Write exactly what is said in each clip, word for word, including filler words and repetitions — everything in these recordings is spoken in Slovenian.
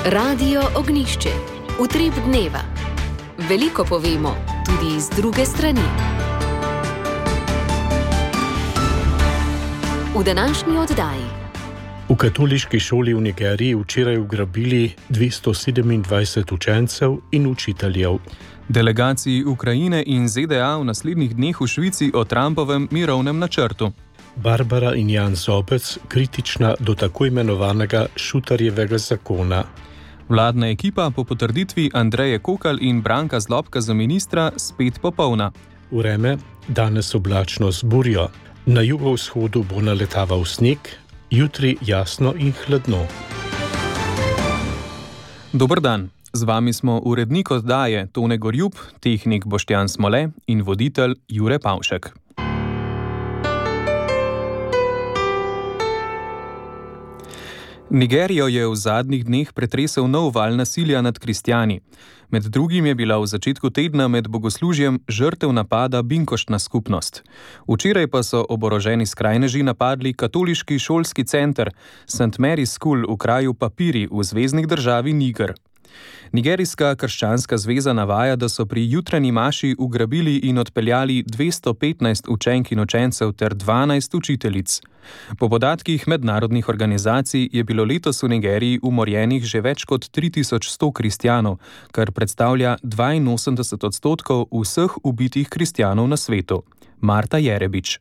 Radio Ognjišče. Utrip dneva. Veliko povemo, tudi iz druge strani. V današnji oddaji. V katoliški šoli v Nigeriji včeraj ugrabili dvesto sedemindvajset učencev in učiteljev. Delegaciji Ukrajine in Z D A v naslednjih dneh v Švici o Trumpovem mirovnem načrtu. Barbara in Jan Zobec kritična do tako imenovanega Šutarjevega zakona. Vladna ekipa po potrditvi Andreje Kokalj in Branka Zlobka za ministra spet popolna. Vreme danes oblačno z burjo. Na jugovzhodu bo naletaval sneg, jutri jasno in hladno. Dober dan. Z vami smo urednik oddaje Tone Gorjup, tehnik Boštjan Smole in voditelj Jure Pavšek. Nigerijo je v zadnjih dneh pretresel nov val nasilja nad kristjani. Med drugim je bila v začetku tedna med bogoslužjem žrtev napada binkoštna skupnost. Včeraj pa so oboroženi skrajneži napadli katoliški šolski center Saint Mary's School v kraju Papiri v zvezni državi Niger. Nigerijska krščanska zveza navaja, da so pri jutranji maši ugrabili in odpeljali dvesto petnajst učenk in učencev ter dvanajst učiteljic. Po podatkih mednarodnih organizacij je bilo letos v Nigeriji umorjenih že več kot tri tisoč sto kristjanov, kar predstavlja dvainosemdeset odstotkov vseh ubitih kristjanov na svetu. Marta Jerebič.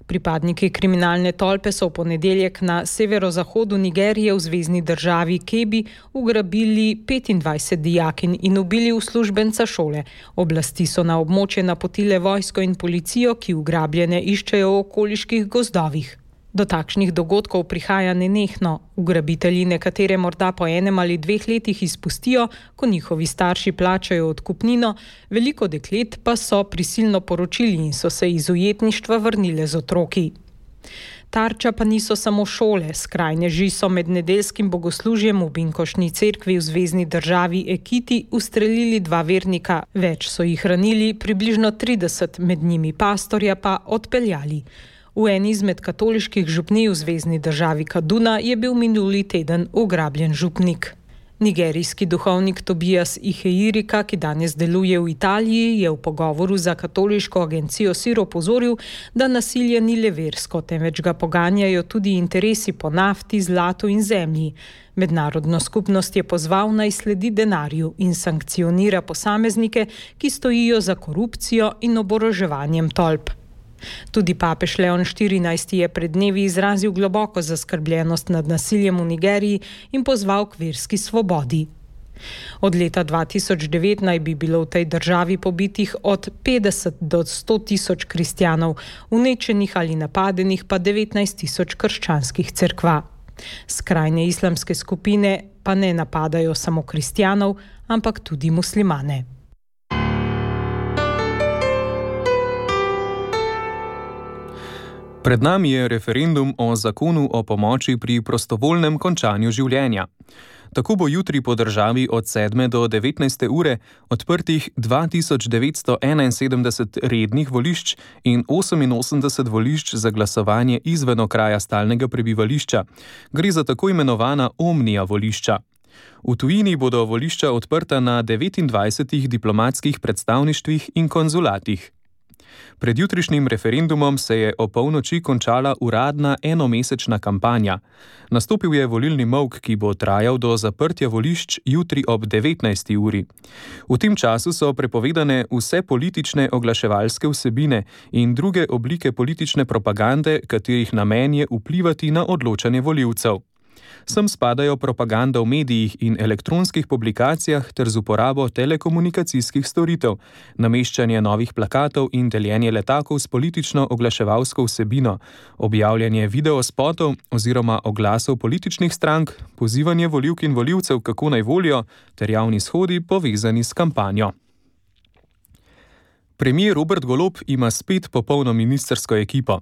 Pripadniki kriminalne tolpe so v ponedeljek na severozahodu Nigerije v zvezni državi Kebbi ugrabili petindvajset dijakinj in ubili uslužbenca šole. Oblasti so na območje napotile vojsko in policijo, ki ugrabljene iščejo v okoliških gozdovih. Do takšnih dogodkov prihaja nenehno. Ugrabitelji nekatere morda po enem ali dveh letih izpustijo, ko njihovi starši plačajo odkupnino, veliko deklet pa so prisilno poročili in so se iz ujetništva vrnile z otroki. Tarča pa niso samo šole. Skrajneži so med nedeljskim bogoslužjem v binkoštni cerkvi v zvezni državi Ekiti ustrelili dva vernika. Več so jih ranili, približno trideset, med njimi pastorja pa odpeljali. V eni izmed katoliških župnij v zvezni državi Kaduna je bil minuli teden ugrabljen župnik. Nigerijski duhovnik Tobias Iheirika, ki danes deluje v Italiji, je v pogovoru za katoliško agencijo Sir opozoril, da nasilje ni le versko, temveč ga poganjajo tudi interesi po nafti, zlatu in zemlji. Mednarodno skupnost je pozval naj sledi denarju in sankcionira posameznike, ki stojijo za korupcijo in oboroževanjem tolp. Tudi papež Leon štirinajsti je pred dnevi izrazil globoko zaskrbljenost nad nasiljem v Nigeriji in pozval k verski svobodi. Od leta dva tisoč devet naj bi bilo v tej državi pobitih od petdeset do sto tisoč kristjanov, uničenih ali napadenih pa devetnajst tisoč krščanskih cerkva. Skrajne islamske skupine pa ne napadajo samo kristjanov, ampak tudi muslimane. Pred nami je referendum o zakonu o pomoči pri prostovoljnem končanju življenja. Tako bo jutri po državi od sedme do devetnajste ure odprtih dva tisoč devetsto enainsedemdeset rednih volišč in oseminosemdeset volišč za glasovanje izven okraja stalnega prebivališča. Gre za tako imenovana omnija volišča. V tujini bodo volišča odprta na devetindvajsetih diplomatskih predstavništvih in konzulatih. Pred jutrišnjim referendumom se je o polnoči končala uradna enomesečna kampanja. Nastopil je volilni molk, ki bo trajal do zaprtja volišč jutri ob devetnajsti uri. V tem času so prepovedane vse politične oglaševalske vsebine in druge oblike politične propagande, katerih namen je vplivati na odločanje volivcev. Sem spadajo propaganda v medijih in elektronskih publikacijah ter z uporabo telekomunikacijskih storitev, nameščanje novih plakatov in deljenje letakov s politično oglaševalsko vsebino, objavljanje videospotov oziroma oglasov političnih strank, pozivanje volivk in volivcev, kako naj volijo, ter javni shodi povezani s kampanjo. Premier Robert Golob ima spet popolno ministrsko ekipo.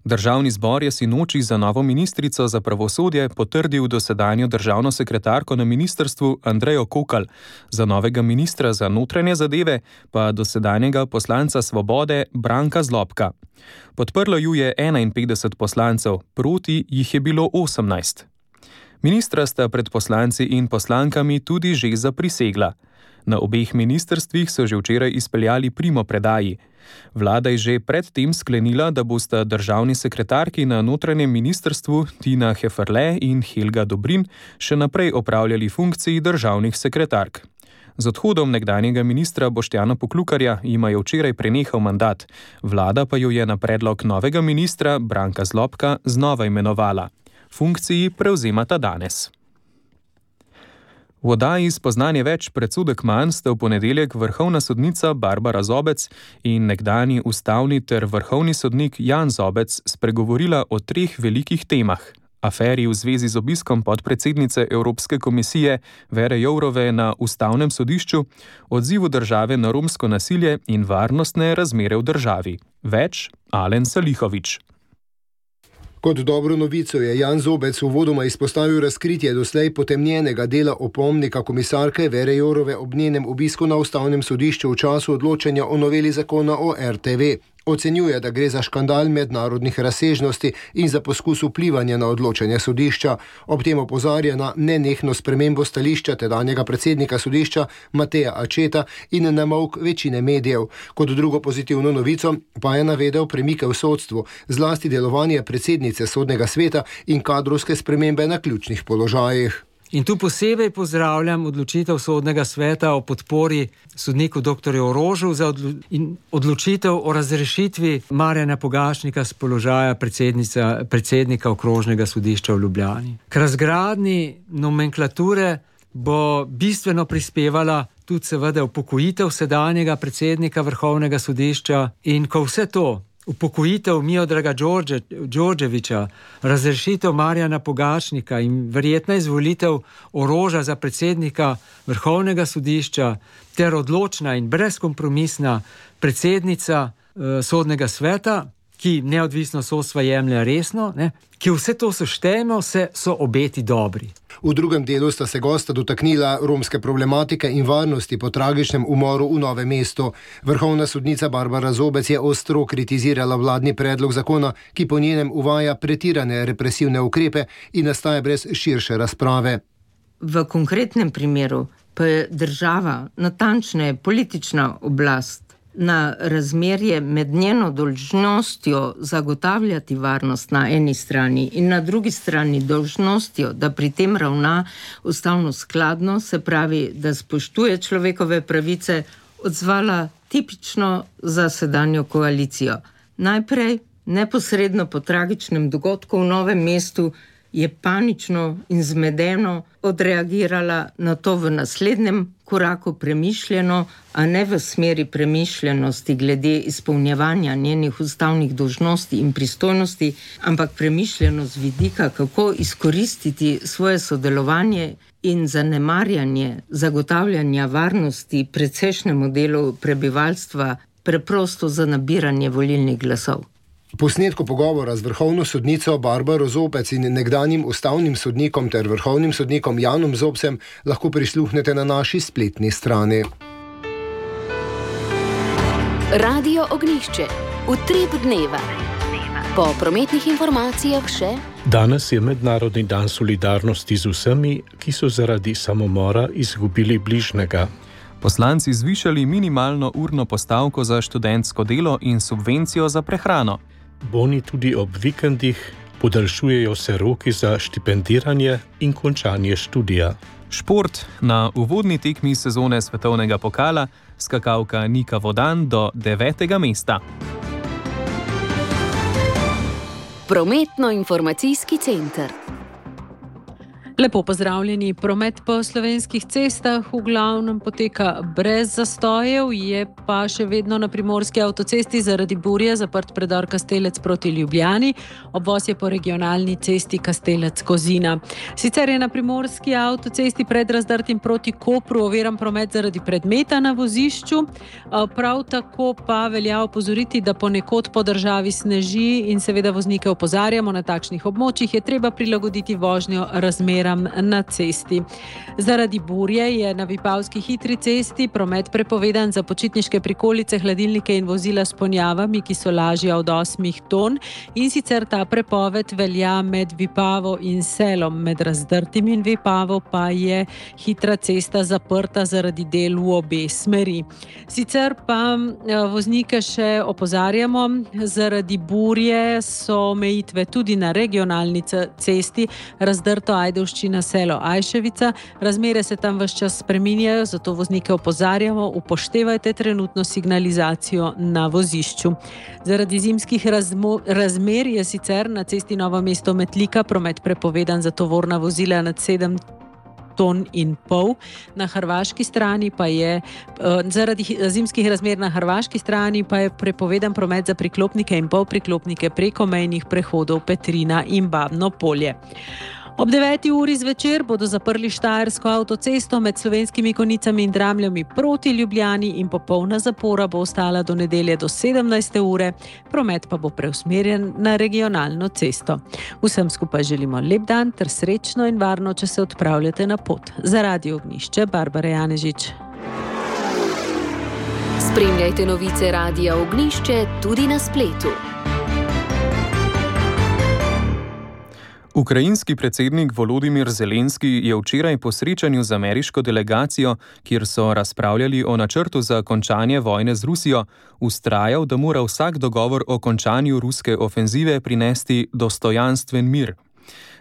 Državni zbor je sinoči za novo ministrico za pravosodje potrdil dosedanjo državno sekretarko na ministrstvu Andrejo Kokalj, za novega ministra za notranje zadeve pa dosedanjega poslanca Svobode Branka Zlobka. Podprlo ju je enainpetdeset poslancev, proti jih je bilo osemnajst. Ministra sta pred poslanci in poslankami tudi že zaprisegla. Na obeh ministrstvih so že včeraj izpeljali primopredaji. Vlada je že predtem sklenila, da bosta državni sekretarki na notranjem ministrstvu Tina Heferle in Helga Dobrin še naprej opravljali funkciji državnih sekretark. Z odhodom nekdanjega ministra Boštjana Poklukarja jima je včeraj prenehal mandat, vlada pa jo je na predlog novega ministra Branka Zlobka znova imenovala. Funkciji prevzemata danes. V oddaji Spoznanje več, predsodek manj sta v ponedeljek vrhovna sodnica Barbara Zobec in nekdanji ustavni ter vrhovni sodnik Jan Zobec spregovorila o treh velikih temah: aferi v zvezi z obiskom podpredsednice Evropske komisije Vere Jourove na ustavnem sodišču, odzivu države na romsko nasilje in varnostne razmere v državi. Več Alen Salihović. Kot dobro novico je Jan Zobec uvodoma izpostavil razkritje doslej potemnjenega dela opomnika komisarke Vere Jourove ob njenem obisku na ustavnem sodišču v času odločanja o noveli zakona o er te ve. Ocenjuje, da gre za škandal mednarodnih razsežnosti in za poskus vplivanja na odločanje sodišča. Ob tem opozarja na nenehno spremembo stališča tedanjega predsednika sodišča Mateja Ačeta in na molk večine medijev. Kot drugo pozitivno novico pa je navedel premike v sodstvu, zlasti delovanje predsednice sodnega sveta in kadrovske spremembe na ključnih položajih. In tu posebej pozdravljam odločitev sodnega sveta o podpori sodniku doktorju Orožu za odlo in odločitev o razrešitvi Marjana Pogačnika z položaja predsednika okrožnega sodišča v Ljubljani. K razgradnji nomenklature bo bistveno prispevala tudi seveda upokojitev sedanjega predsednika Vrhovnega sodišča in ko vse to, upokojitev Miodraga Đorđevića, razrešitev Marjana Pogačnika in verjetna izvolitev Oroža za predsednika Vrhovnega sodišča ter odločna in brezkompromisna predsednica eh, sodnega sveta, ki neodvisno sodstva jemlje resno, ne, ki vse to seštejemo, se so obeti dobri. V drugem delu sta se gosta dotaknila romske problematike in varnosti po tragičnem umoru v Novem mestu. Vrhovna sodnica Barbara Zobec je ostro kritizirala vladni predlog zakona, ki po njenem uvaja pretirane represivne ukrepe in nastaja brez širše razprave. V konkretnem primeru pa je država, natančneje politična oblast, na razmerje med njeno dolžnostjo zagotavljati varnost na eni strani in na drugi strani dolžnostjo, da pri tem ravna ustavno skladno, se pravi, da spoštuje človekove pravice, odzvala tipično za sedanjo koalicijo. Najprej, neposredno po tragičnem dogodku v Novem mestu, je panično in zmedeno odreagirala, na to v naslednjem koraku premišljeno, a ne v smeri premišljenosti glede izpolnjevanja njenih ustavnih dolžnosti in pristojnosti, ampak premišljeno z vidika, kako izkoristiti svoje sodelovanje in zanemarjanje zagotavljanja varnosti precejšnjemu delu prebivalstva preprosto za nabiranje volilnih glasov. Posnetku pogovora z vrhovno sodnico Barbaro Zobec in nekdanjim ustavnim sodnikom ter vrhovnim sodnikom Janom Zobcem lahko prisluhnete na naši spletni strani. Radio Ognjišče. Utrip dneva. Po prometnih informacijah še. Danes je Mednarodni dan solidarnosti z vsemi, ki so zaradi samomora izgubili bližnjega. Poslanci zvišali minimalno urno postavko za študentsko delo in subvencijo za prehrano. Boni tudi ob vikendih, podaljšujejo se roki za štipendiranje in končanje študija. Šport. Na uvodni tekmi sezone svetovnega pokala skakalka Nika Vodan do devetega mesta. Prometno-informacijski center. Lepo pozdravljeni. Promet po slovenskih cestah v glavnem poteka brez zastojev, je pa še vedno na primorski avtocesti zaradi burje zaprt predor Kastelec proti Ljubljani, obvoz je po regionalni cesti Kastelec-Kozina. Sicer je na primorski avtocesti pred Razdrtim proti Kopru oviran promet zaradi predmeta na vozišču, prav tako pa velja opozoriti, da ponekod po državi sneži in seveda voznike opozarjamo, na takšnih območjih je treba prilagoditi vožnjo razmeram razmeram na cesti. Zaradi burje je na Vipavski hitri cesti promet prepovedan za počitniške prikolice, hladilnike in vozila s ponjavami, ki so lažja od osmih ton, in sicer ta prepoved velja med Vipavo in Selom. Med Razdrtim in Vipavo pa je hitra cesta zaprta zaradi del v obe smeri. Sicer pa voznike še opozarjamo, zaradi burje so omejitve tudi na regionalni cesti Razdrto, Ajdovščina, Selo, Ajševica. Razmere se tam ves čas spreminjajo, zato voznike opozarjamo, upoštevajte trenutno signalizacijo na vozišču. Zaradi zimskih razmo, razmer je sicer na cesti Novo Mesto-Metlika promet prepovedan za tovorna vozila nad sedem ton in pol. Na hrvaški strani pa je, zaradi zimskih razmer na hrvaški strani pa je prepovedan promet za priklopnike in polpriklopnike preko mejnih prehodov Petrina in Babno Polje. Ob deveti uri zvečer bodo zaprli Štajersko avtocesto med Slovenskimi Konjicami in Dramljami proti Ljubljani in popolna zapora bo ostala do nedelje do sedemnajste ure, promet pa bo preusmerjen na regionalno cesto. Vsem skupaj želimo lep dan ter srečno in varno, če se odpravljate na pot. Za Radio Ognjišče, Barbara Janežič. Spremljajte novice Radia Ognjišče tudi na spletu. Ukrajinski predsednik Volodimir Zelenski je včeraj po srečanju z ameriško delegacijo, kjer so razpravljali o načrtu za končanje vojne z Rusijo, vztrajal, da mora vsak dogovor o končanju ruske ofenzive prinesti dostojanstven mir.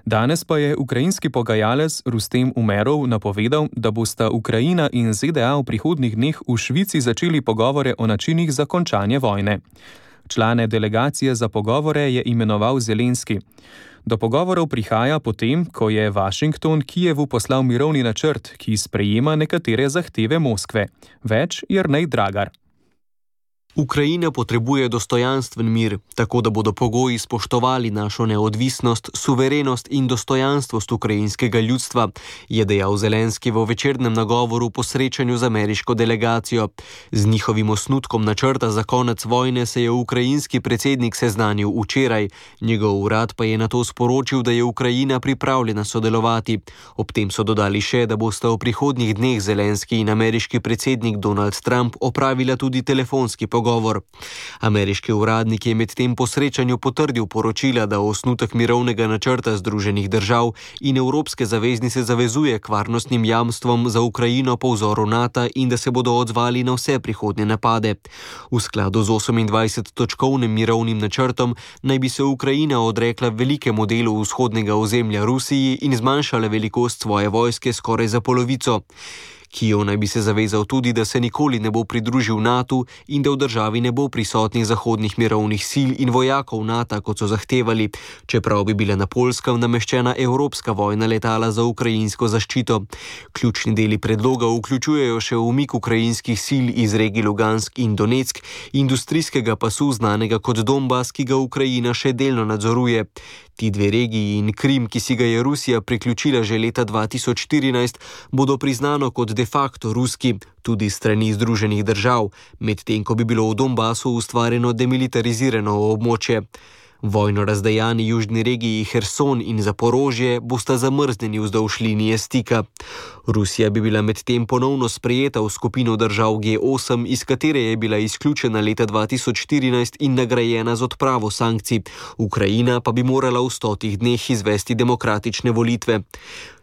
Danes pa je ukrajinski pogajalec Rustem Umerov napovedal, da bosta Ukrajina in ZDA v prihodnjih dneh v Švici začeli pogovore o načinih za končanje vojne. Člane delegacije za pogovore je imenoval Zelenski. Do pogovorov prihaja potem, ko je Washington Kijevu poslal mirovni načrt, ki sprejema nekatere zahteve Moskve. Več Jernej Dragar. Ukrajina potrebuje dostojanstven mir, tako da bodo pogoji spoštovali našo neodvisnost, suverenost in dostojanstvost ukrajinskega ljudstva, je dejal Zelenski v večernem nagovoru po srečanju z ameriško delegacijo. Z njihovim osnutkom načrta za konec vojne se je ukrajinski predsednik seznanil včeraj. Njegov urad pa je nato sporočil, da je Ukrajina pripravljena sodelovati. Ob tem so dodali še, da bosta v prihodnjih dneh Zelenski in ameriški predsednik Donald Trump opravila tudi telefonski pogovor. Govor. Ameriški uradnik je med tem po srečanju potrdil poročila, da osnutek mirovnega načrta Združenih držav in Evropske zaveznice zavezuje k varnostnim jamstvom za Ukrajino po vzoru NATO in da se bodo odzvali na vse prihodnje napade. V skladu z osemindvajsettočkovnim mirovnim načrtom naj bi se Ukrajina odrekla velikemu delu vzhodnega ozemlja Rusiji in zmanjšala velikost svoje vojske skoraj za polovico. Kijev naj bi se zavezal tudi, da se nikoli ne bo pridružil NATO in da v državi ne bo prisotnih zahodnih mirovnih sil in vojakov NATO, kot so zahtevali, čeprav bi bila na Poljskem nameščena evropska vojna letala za ukrajinsko zaščito. Ključni deli predloga vključujejo še umik ukrajinskih sil iz regij Lugansk in Donetsk, industrijskega pasu znanega kot Donbas, ki ga Ukrajina še delno nadzoruje. Ti dve regiji in Krim, ki si ga je Rusija priključila že leta dva tisoč štirinajst, bodo priznano kot de facto ruski, tudi strani Združenih držav, medtem ko bi bilo v Donbasu ustvarjeno demilitarizirano območje. Vojno razdejani južni regiji Herson in Zaporožje bosta zamrznjeni vzdolž linije stika. Rusija bi bila medtem ponovno sprejeta v skupino držav G osem, iz katere je bila izključena leta dva tisoč štirinajst in nagrajena z odpravo sankcij. Ukrajina pa bi morala v stotih dneh izvesti demokratične volitve.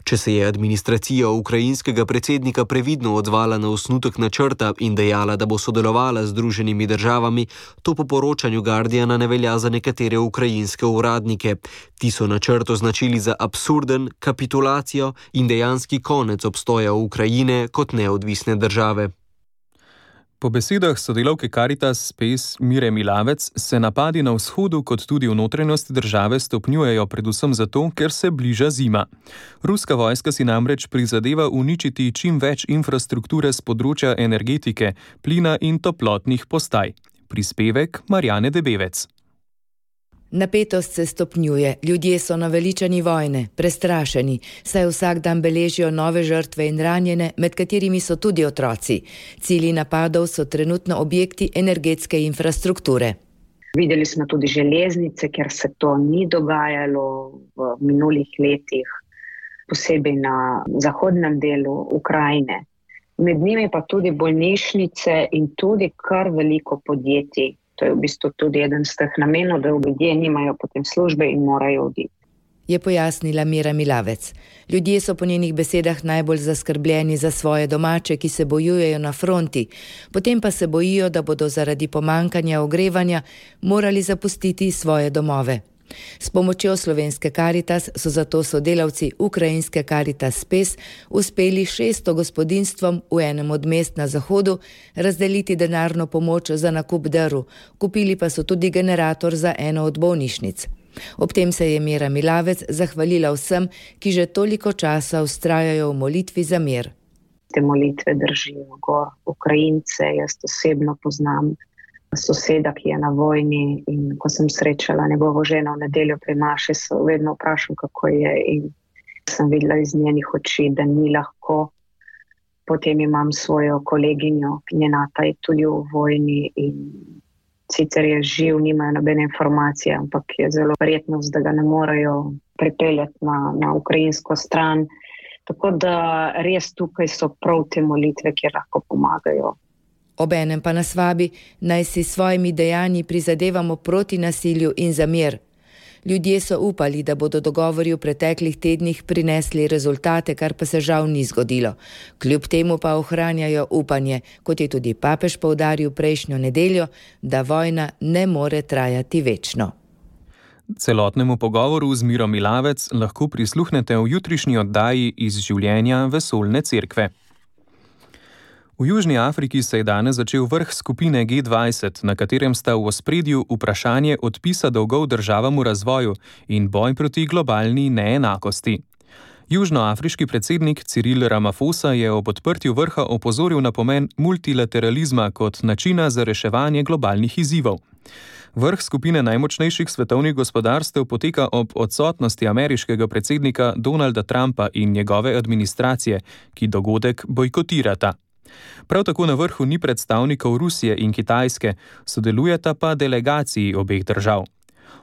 Če se je administracija ukrajinskega predsednika previdno odzvala na osnutek načrta in dejala, da bo sodelovala z Združenimi državami, to po poročanju Guardiana ne velja za nekatere ukrajinske uradnike. Ti so načrt označili za absurden, kapitulacijo in dejanski konec obstoja Ukrajine kot neodvisne države. Po besedah sodelavke Caritas Space Mire Milavec se napadi na vzhodu kot tudi v notranjosti države stopnjujejo predvsem zato, ker se bliža zima. Ruska vojska si namreč prizadeva uničiti čim več infrastrukture z področja energetike, plina in toplotnih postaj. Prispevek Marjane Debevec. Napetost se stopnjuje, ljudje so naveličani vojne, prestrašeni, saj vsak dan beležijo nove žrtve in ranjene, med katerimi so tudi otroci. Cilji napadov so trenutno objekti energetske infrastrukture. Videli smo tudi železnice, ker se to ni dogajalo v minulih letih. posebej na zahodnem delu Ukrajine. Med njimi pa tudi bolnišnice in tudi kar veliko podjetij. To je v bistvu tudi eden z teh namenov, da ljudje nimajo potem službe in morajo oditi. Je pojasnila Mira Milavec. Ljudje so po njenih besedah najbolj zaskrbljeni za svoje domače, ki se bojujejo na fronti, potem pa se bojijo, da bodo zaradi pomankanja ogrevanja morali zapustiti svoje domove. S pomočjo slovenske Karitas so zato sodelavci ukrajinske Karitas Spes uspeli šeststo gospodinjstvom v enem od mest na zahodu razdeliti denarno pomoč za nakup drv, kupili pa so tudi generator za eno od bolnišnic. Ob tem se je Mira Milavec zahvalila vsem, ki že toliko časa vztrajajo v molitvi za mir. Te molitve držijo gor Ukrajince, jaz osebno poznam soseda, ki je na vojni, in ko sem srečala njegovo ženo v nedeljo pri maši, so vedno vprašam, kako je, in sem videla iz njenih oči, da ni lahko. Potem imam svojo koleginjo, njena ta je tudi v vojni in sicer je živ, nimajo nobene informacije, ampak je zelo verjetnost, da ga ne morejo pripeljati na, na ukrajinsko stran. Tako da res tukaj so prav te molitve, ki lahko pomagajo. Obenem pa nas vabi, naj si s svojimi dejanji prizadevamo proti nasilju in za mir. Ljudje so upali, da bodo dogovori v preteklih tednih prinesli rezultate, kar pa se žal ni zgodilo. Kljub temu pa ohranjajo upanje, kot je tudi papež poudaril prejšnjo nedeljo, da vojna ne more trajati večno. Celotnemu pogovoru z Miro Milavec lahko prisluhnete v jutrišnji oddaji Iz življenja vesoljne cerkve. V Južni Afriki se je danes začel vrh skupine G dvajset, na katerem sta v ospredju vprašanje odpisa dolgov državam v razvoju in boj proti globalni neenakosti. Južnoafriški predsednik Cyril Ramaphosa je ob odprtju vrha opozoril na pomen multilateralizma kot načina za reševanje globalnih izzivov. Vrh skupine najmočnejših svetovnih gospodarstev poteka ob odsotnosti ameriškega predsednika Donalda Trumpa in njegove administracije, ki dogodek bojkotirata. Prav tako na vrhu ni predstavnikov Rusije in Kitajske, sodelujeta pa delegaciji obeh držav.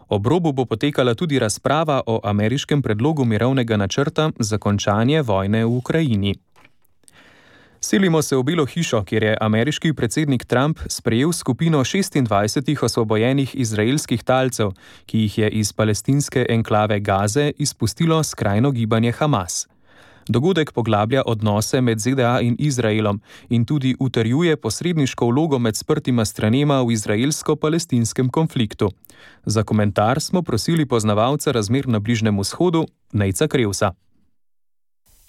Ob robu bo potekala tudi razprava o ameriškem predlogu mirovnega načrta za končanje vojne v Ukrajini. Selimo se v Belo hišo, kjer je ameriški predsednik Trump sprejel skupino šestindvajsetih osvobojenih izraelskih talcev, ki jih je iz palestinske enklave Gaze izpustilo skrajno gibanje Hamas. Dogodek poglablja odnose med Z D A in Izraelom in tudi utrjuje posredniško vlogo med sprtima stranema v izraelsko-palestinskem konfliktu. Za komentar smo prosili poznavalca razmer na Bližnjem vzhodu, Nejca Krevsa.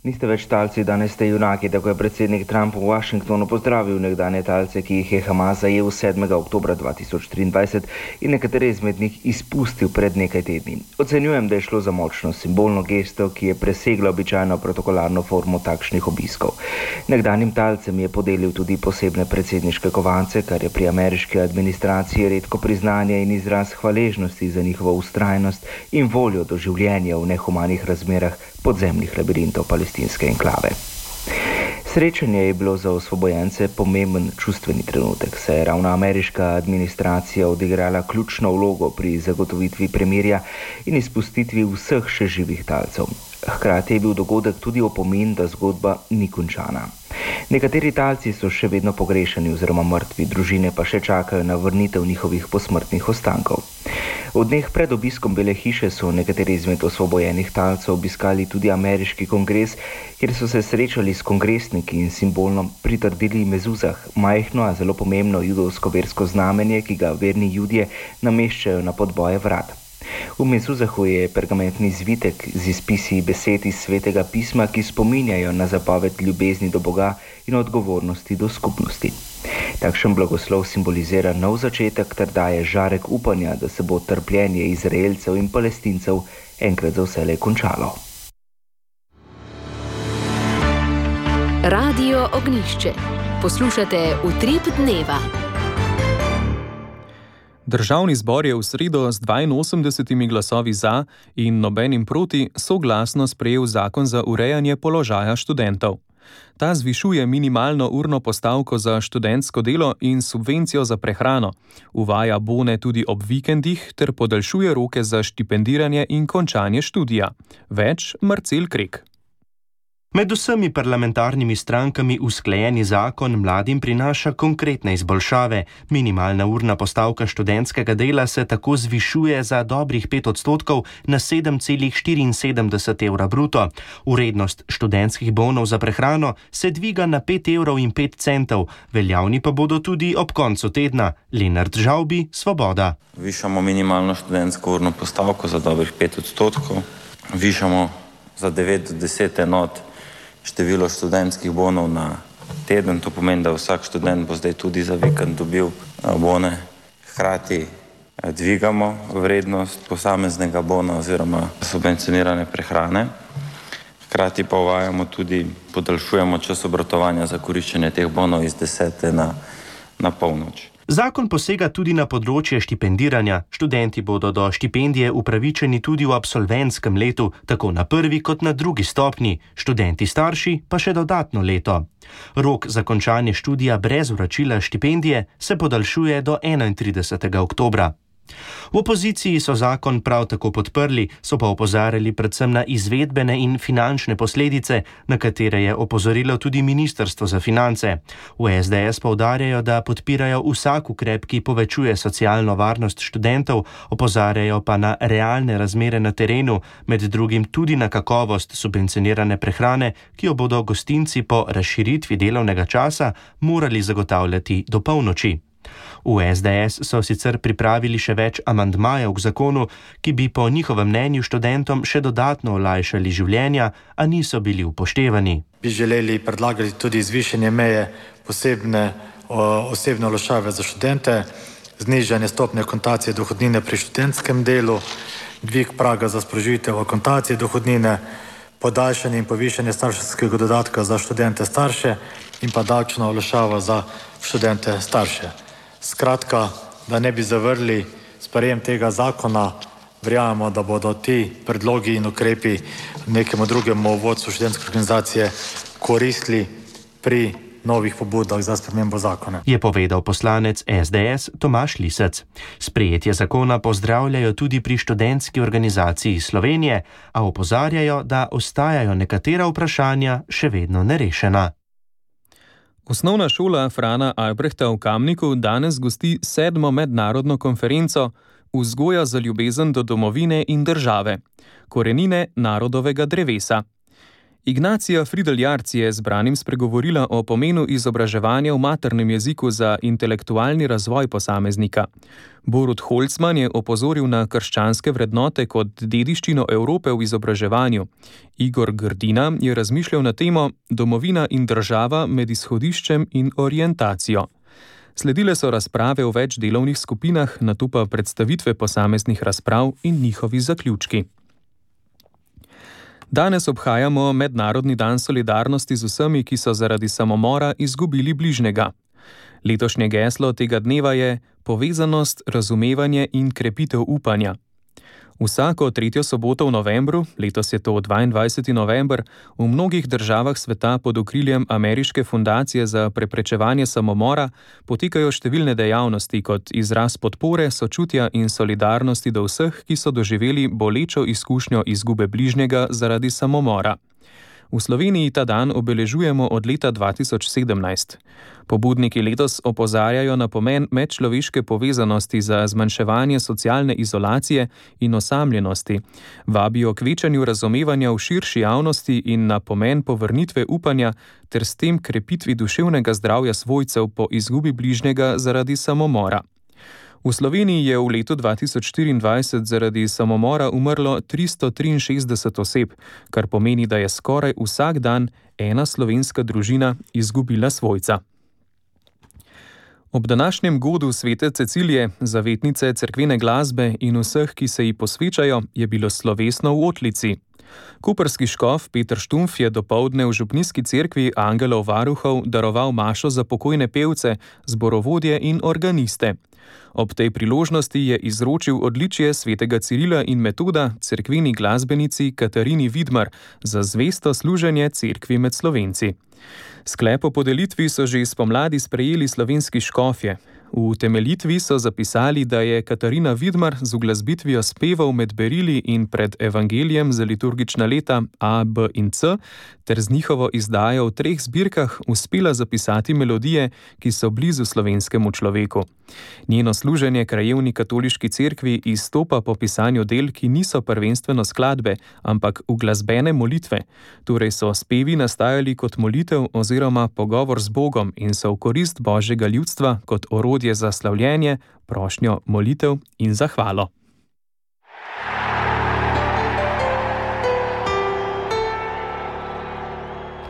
Niste več talci, danes ste junaki, tako je predsednik Trump v Washingtonu pozdravil nekdanje talce, ki jih je Hamas zajel sedmega oktobra dva tisoč triindvajset in nekatere izmed njih izpustil pred nekaj tedni. Ocenjujem, da je šlo za močno simbolno gesto, ki je presegla običajno protokolarno formo takšnih obiskov. Nekdanjim talcem je podelil tudi posebne predsedniške kovance, kar je pri ameriški administraciji redko priznanje in izraz hvaležnosti za njihovo vztrajnost in voljo do življenja v nehumanih razmerah podzemnih labirintov palestinske enklave. Srečanje je bilo za osvobojence pomemben čustveni trenutek, saj je ravno ameriška administracija odigrala ključno vlogo pri zagotovitvi premirja in izpustitvi vseh še živih talcev. Hkrati je bil dogodek tudi opomin, da zgodba ni končana. Nekateri talci so še vedno pogrešani oziroma mrtvi, družine pa še čakajo na vrnitev njihovih posmrtnih ostankov. V dneh pred obiskom Bele hiše so nekateri izmed osvobojenih talcev obiskali tudi ameriški kongres, kjer so se srečali s kongresniki in simbolno pritrdili mezuzah, majhno, a zelo pomembno judovsko versko znamenje, ki ga verni Judje nameščajo na podboje vrat. V mezuzahu je pergamentni zvitek z izpisi besed iz svetega pisma, ki spominjajo na zapoved ljubezni do Boga in odgovornosti do skupnosti. Takšen blagoslov simbolizira nov začetek ter daje žarek upanja, da se bo trpljenje Izraelcev in Palestincev enkrat za vselej končalo. Radio Ognjišče. Poslušate Utrip dneva. Državni zbor je v sredo z dvainosemdesetimi glasovi za in nobenim proti soglasno sprejel zakon za urejanje položaja študentov. Ta zvišuje minimalno urno postavko za študentsko delo in subvencijo za prehrano, uvaja bone tudi ob vikendih ter podaljšuje roke za štipendiranje in končanje študija. Več Marcel Krek. Med vsemi parlamentarnimi strankami usklajeni zakon mladim prinaša konkretne izboljšave. Minimalna urna postavka študentskega dela se tako zvišuje za dobrih pet odstotkov na sedem celih štiriinsedemdeset evra bruto. Vrednost študentskih bonov za prehrano se dviga na pet evrov in pet centov, veljavni pa bodo tudi ob koncu tedna. Lenart Žavbi, Svoboda. Višamo minimalno študentsko urno postavko za dobrih pet odstotkov, višamo za devet do deset enot število študentskih bonov na teden, to pomeni, da vsak študent bo zdaj tudi za vikend dobil bone. Hkrati dvigamo vrednost posameznega bona oziroma subvencionirane prehrane. Hkrati pa uvajamo tudi, podaljšujemo čas obratovanja za koriščenje teh bonov iz desete na, na polnoč. Zakon posega tudi na področje štipendiranja. Študenti bodo do štipendije upravičeni tudi v absolventskem letu, tako na prvi kot na drugi stopnji, študenti starši pa še dodatno leto. Rok za končanje študija brez vračila štipendije se podaljšuje do enaintridesetega oktobra. V opoziciji so zakon prav tako podprli, so pa opozarjali predvsem na izvedbene in finančne posledice, na katere je opozorilo tudi Ministrstvo za finance. V es de es poudarjajo, da podpirajo vsak ukrep, ki povečuje socialno varnost študentov, opozarjajo pa na realne razmere na terenu, med drugim tudi na kakovost subvencionirane prehrane, ki jo bodo gostinci po razširitvi delovnega časa morali zagotavljati do polnoči. V es de es so sicer pripravili še več amandmajev k zakonu, ki bi po njihovem mnenju študentom še dodatno olajšali življenja, a niso bili upoštevani. Bi želeli predlagati tudi zvišanje meje posebne o, osebne olajšave za študente, znižanje stopnje akontacije dohodnine pri študentskem delu, dvig praga za sprožitev akontacije dohodnine, podaljšanje in povišanje starševskega dodatka za študente starše in pa davčna olajšava za študente starše. Skratka, da ne bi zavrli sprejem tega zakona, verjamemo, da bodo ti predlogi in ukrepi nekemu drugemu vodstvu študentske organizacije koristili pri novih pobudah za spremembo zakona. Je povedal poslanec es de es Tomaž Lisec. Sprejetje zakona pozdravljajo tudi pri študentski organizaciji Slovenije, a opozarjajo, da ostajajo nekatera vprašanja še vedno nerešena. Osnovna šola Frana Albrehta v Kamniku danes gosti sedmo mednarodno konferenco Vzgoja za ljubezen do domovine in države. Korenine narodovega drevesa. Ignacija Fridl-Jarc je zbranim spregovorila o pomenu izobraževanja v maternem jeziku za intelektualni razvoj posameznika. Borut Holcman je opozoril na krščanske vrednote kot dediščino Evrope v izobraževanju. Igor Grdina je razmišljal na temo Domovina in država med izhodiščem in orientacijo. Sledile so razprave v več delovnih skupinah, nato pa predstavitve posameznih razprav in njihovi zaključki. Danes obhajamo Mednarodni dan solidarnosti z vsemi, ki so zaradi samomora izgubili bližnjega. Letošnje geslo tega dneva je povezanost, razumevanje in krepitev upanja. Vsako tretjo soboto v novembru, letos je to dvaindvajseti november, v mnogih državah sveta pod okriljem Ameriške fundacije za preprečevanje samomora potekajo številne dejavnosti kot izraz podpore, sočutja in solidarnosti do vseh, ki so doživeli bolečo izkušnjo izgube bližnjega zaradi samomora. V Sloveniji ta dan obeležujemo od leta dva tisoč sedemnajst. Pobudniki letos opozarjajo na pomen medčloveške povezanosti za zmanjševanje socialne izolacije in osamljenosti, vabijo k večanju razumevanja v širši javnosti in na pomen povrnitve upanja ter s tem krepitvi duševnega zdravja svojcev po izgubi bližnjega zaradi samomora. V Sloveniji je v letu dva tisoč štiriindvajset zaradi samomora umrlo tristo triinšestdeset oseb, kar pomeni, da je skoraj vsak dan ena slovenska družina izgubila svojca. Ob današnjem godu svete Cecilije, zavetnice cerkvene glasbe in vseh, ki se ji posvečajo, je bilo slovesno v Otlici. Koprski škof Peter Štumpf je dopoldne v župnijski cerkvi Angelov varuhov daroval mašo za pokojne pevce, zborovodje in organiste. Ob tej priložnosti je izročil odličje svetega Cirila in Metoda cerkveni glasbenici Katarini Vidmar za zvesto služenje cerkvi med Slovenci. Sklep o podelitvi so že spomladi sprejeli slovenski škofje. V utemeljitvi so zapisali, da je Katarina Vidmar z uglasbitvijo spevov med berili in pred evangelijem za liturgična leta A, B in C ter z njihovo izdajo v treh zbirkah uspela zapisati melodije, ki so blizu slovenskemu človeku. Njeno služenje krajevni katoliški cerkvi izstopa po pisanju del, ki niso prvenstveno skladbe, ampak uglasbene molitve. Torej so spevi nastajali kot molitev oziroma pogovor z Bogom in so v korist Božjega ljudstva kot orodje za slavljenje, prošnjo, molitev in zahvalo.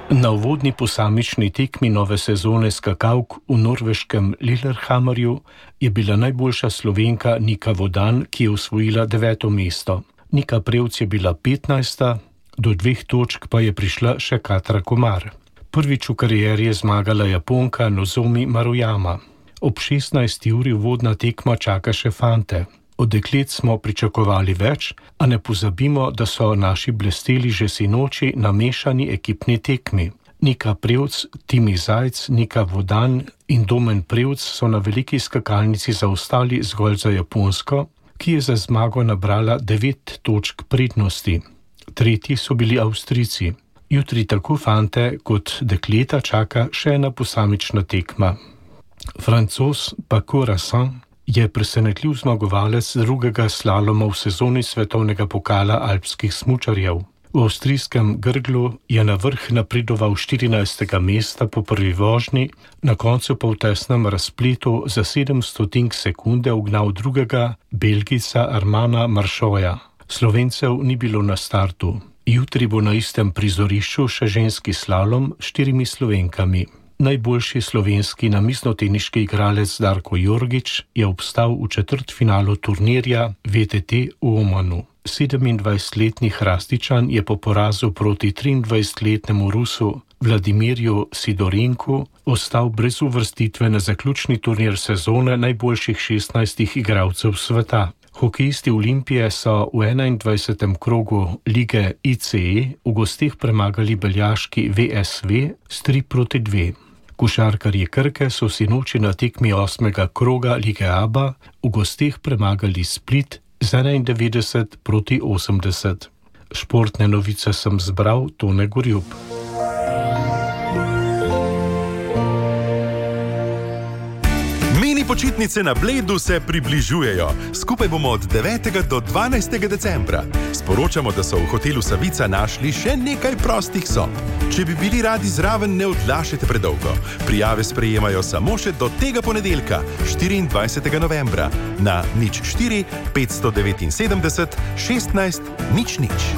Na uvodni posamični tekmi nove sezone skakavk v norveškem Lillehammerju je bila najboljša Slovenka Nika Vodan, ki je osvojila deveto mesto. Nika Prevc je bila petnajsta, do dveh točk pa je prišla še Katra Komar. Prvič v karieri je zmagala Japonka Nozomi Maruyama. Ob šestnajsti uri uvodna tekma čaka še fante. Od deklet smo pričakovali več, a ne pozabimo, da so naši blesteli že sinoči na mešani ekipni tekmi. Nika Prevc, Timi Zajc, Nika Vodan in Domen Prevc so na veliki skakalnici zaostali zgolj za Japonsko, ki je za zmago nabrala devet točk prednosti. Tretji so bili Avstrijci. Jutri tako fante kot dekleta čaka še ena posamična tekma. Francoz Paco Rabanne je presenetljiv zmagovalec drugega slaloma v sezoni svetovnega pokala alpskih smučarjev. V avstrijskem Grglu je na vrh napredoval štirinajstega mesta po prvi vožnji, na koncu pa v tesnem razpletu za sedem stotink sekunde ugnal drugega Belgijca Armanda Marchoja. Slovencev ni bilo na startu. Jutri bo na istem prizorišču še ženski slalom s štirimi Slovenkami. Najboljši slovenski namiznoteniški igralec Darko Jorgič je obstal v četrtfinalu turnirja V T T v Omanu. sedemindvajsetletni Hrastičan je po porazu proti triindvajsetletnemu Rusu Vladimirju Sidorenku ostal brez uvrstitve na zaključni turnir sezone najboljših šestnajstih igralcev sveta. Hokejisti Olimpije so v enaindvajsetem krogu lige I C E v gosteh premagali beljaški V S V s tri proti dve. Košarkarji Krke so sinoči na tekmi osmega kroga lige A B A v gosteh premagali Split z enaindevetdeset proti osemdeset. Športne novice sem zbral Tone Gorjup. Počitnice na Bledu se približujejo. Skupaj bomo od devetega do dvanajstega decembra. Sporočamo, da so v hotelu Savica našli še nekaj prostih sob. Če bi bili radi zraven, ne odlašajte predolgo. Prijave sprejemajo samo še do tega ponedeljka, štiriindvajsetega novembra, na nič štiri petsto devetinsedemdeset šestnajst nič nič.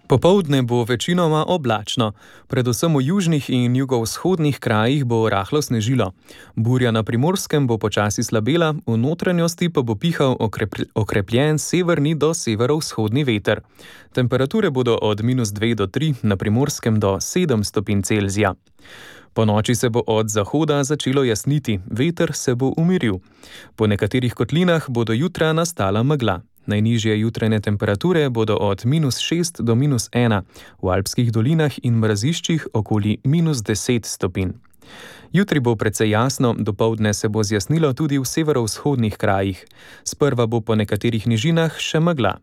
Popoldne bo večinoma oblačno, predvsem v južnih in jugovzhodnih krajih bo rahlo snežilo. Burja na Primorskem bo počasi slabela, v notranjosti pa bo pihal okrep, okrepljen severni do severovzhodni veter. Temperature bodo od minus dve do tri, na Primorskem do sedem stopinj Celzija. Po noči se bo od zahoda začelo jasniti, veter se bo umiril. Po nekaterih kotlinah bodo jutra nastala megla. Najnižje jutranje temperature bodo od minus šest do minus ena, v alpskih dolinah in mraziščih okoli minus deset stopinj. Jutri bo precej jasno, dopoldne se bo zjasnilo tudi v severovzhodnih krajih. Sprva bo po nekaterih nižinah še megla.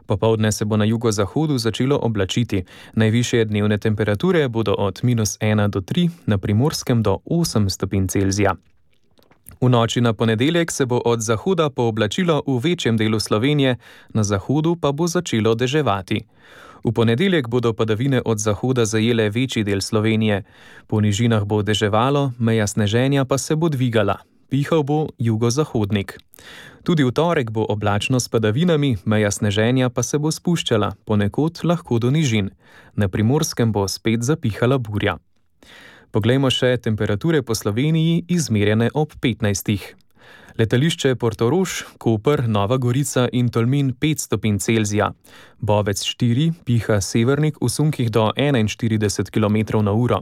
Popoldne se bo na jugozahodu začelo oblačiti. Najvišje dnevne temperature bodo od minus ena do tri, na Primorskem do osem stopinj Celzija. V noči na ponedeljek se bo od zahoda pooblačilo v večjem delu Slovenije, na zahodu pa bo začelo deževati. V ponedeljek bodo padavine od zahoda zajele večji del Slovenije. Po nižinah bo deževalo, meja sneženja pa se bo dvigala. Pihal bo jugozahodnik. Tudi v torek bo oblačno s padavinami, meja sneženja pa se bo spuščala, ponekod lahko do nižin. Na Primorskem bo spet zapihala burja. Poglejmo še temperature po Sloveniji izmerjene ob petnajstih. Letališče Portorož, Koper, Nova Gorica in Tolmin pet stopinj Celzija. Bovec štiri, piha severnik v sunkih do enainštirideset kilometrov na uro.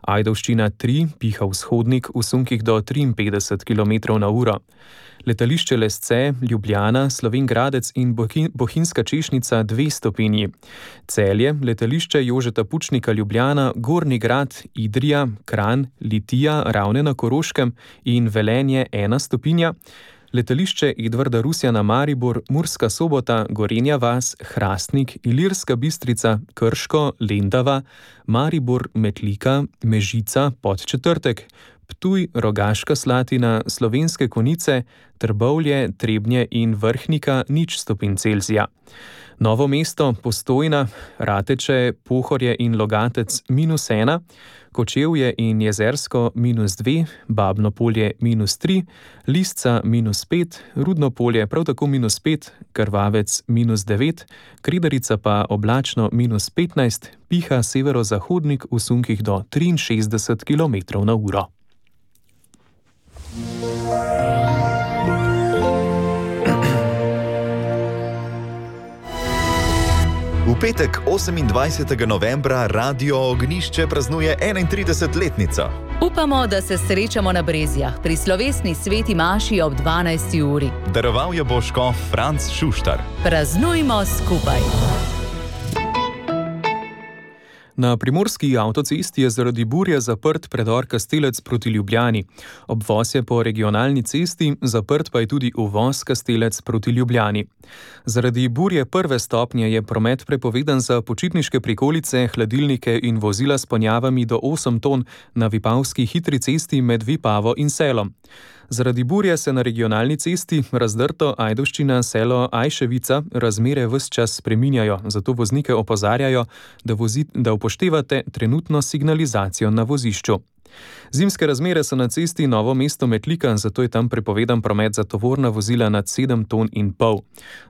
Ajdovščina tri piha vzhodnik v sunkih do triinpetdeset kilometrov na uro. Letališče Lesce, Ljubljana, Slovenj Gradec in Bohinjska Češnica dve stopinji. Celje, letališče Jožeta Pučnika Ljubljana, Gornji Grad, Idrija, Kranj, Litija, Ravne na Koroškem in Velenje ena stopinja. Letališče Edvarda Rusjana Maribor, Murska Sobota, Gorenja vas, Hrastnik, Ilirska Bistrica, Krško, Lendava, Maribor, Metlika, Mežica, Podčetrtek, Ptuj, Rogaška Slatina, Slovenske Konjice, Trbovlje, Trebnje in Vrhnika nič stopinj Celzija. Novo mesto, Postojna, Rateče, Pohorje in Logatec minus ena, Kočevje in Jezersko minus dve, Babno Polje minus tri, Lisca minus pet, Rudno Polje prav tako minus pet, Krvavec minus devet, Kredarica pa oblačno minus petnajst, piha severozahodnik v sunkih do triinšestdeset kilometrov na uro. V petek osemindvajsetega novembra Radio Ognišče praznuje enaintridesetletnico. Upamo, da se srečamo na Brezjah pri slovesni sveti maši ob dvanajsti uri. Daroval jo bo škof Franc Šuštar. Praznujmo skupaj. Na primorski avtocesti je zaradi burje zaprt predor Kastelec proti Ljubljani. Obvoz je po regionalni cesti, zaprt pa je tudi uvoz Kastelec proti Ljubljani. Zaradi burje prve stopnje je promet prepovedan za počitniške prikolice, hladilnike in vozila s ponjavami do osem ton na vipavski hitri cesti med Vipavo in Selom. Zaradi burje se na regionalni cesti Razdrto, Ajdovščina, Selo, Ajševica razmere ves čas spreminjajo, zato voznike opozarjajo, da, vozi, da upoštevate trenutno signalizacijo na vozišču. Zimske razmere so na cesti Novo mesto Metlika, zato je tam prepovedan promet za tovorna vozila nad sedem ton in pol.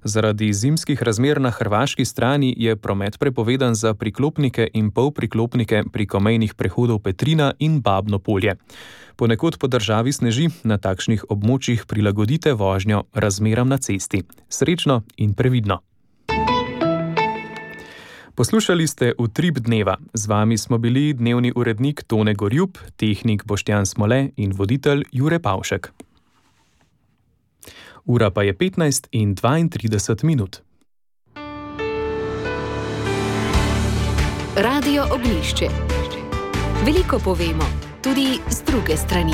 Zaradi zimskih razmer na hrvaški strani je promet prepovedan za priklopnike in polpriklopnike preko mejnih prehodov Petrina in Babno Polje. Ponekod po državi sneži, na takšnih območjih prilagodite vožnjo razmeram na cesti. Srečno in previdno! Poslušali ste Utrip dneva. Z vami smo bili dnevni urednik Tone Gorjup, tehnik Boštjan Smole in voditelj Jure Pavšek. Ura pa je petnajst in dvaintrideset minut. Radio Ognišče. Veliko povemo, tudi z druge strani.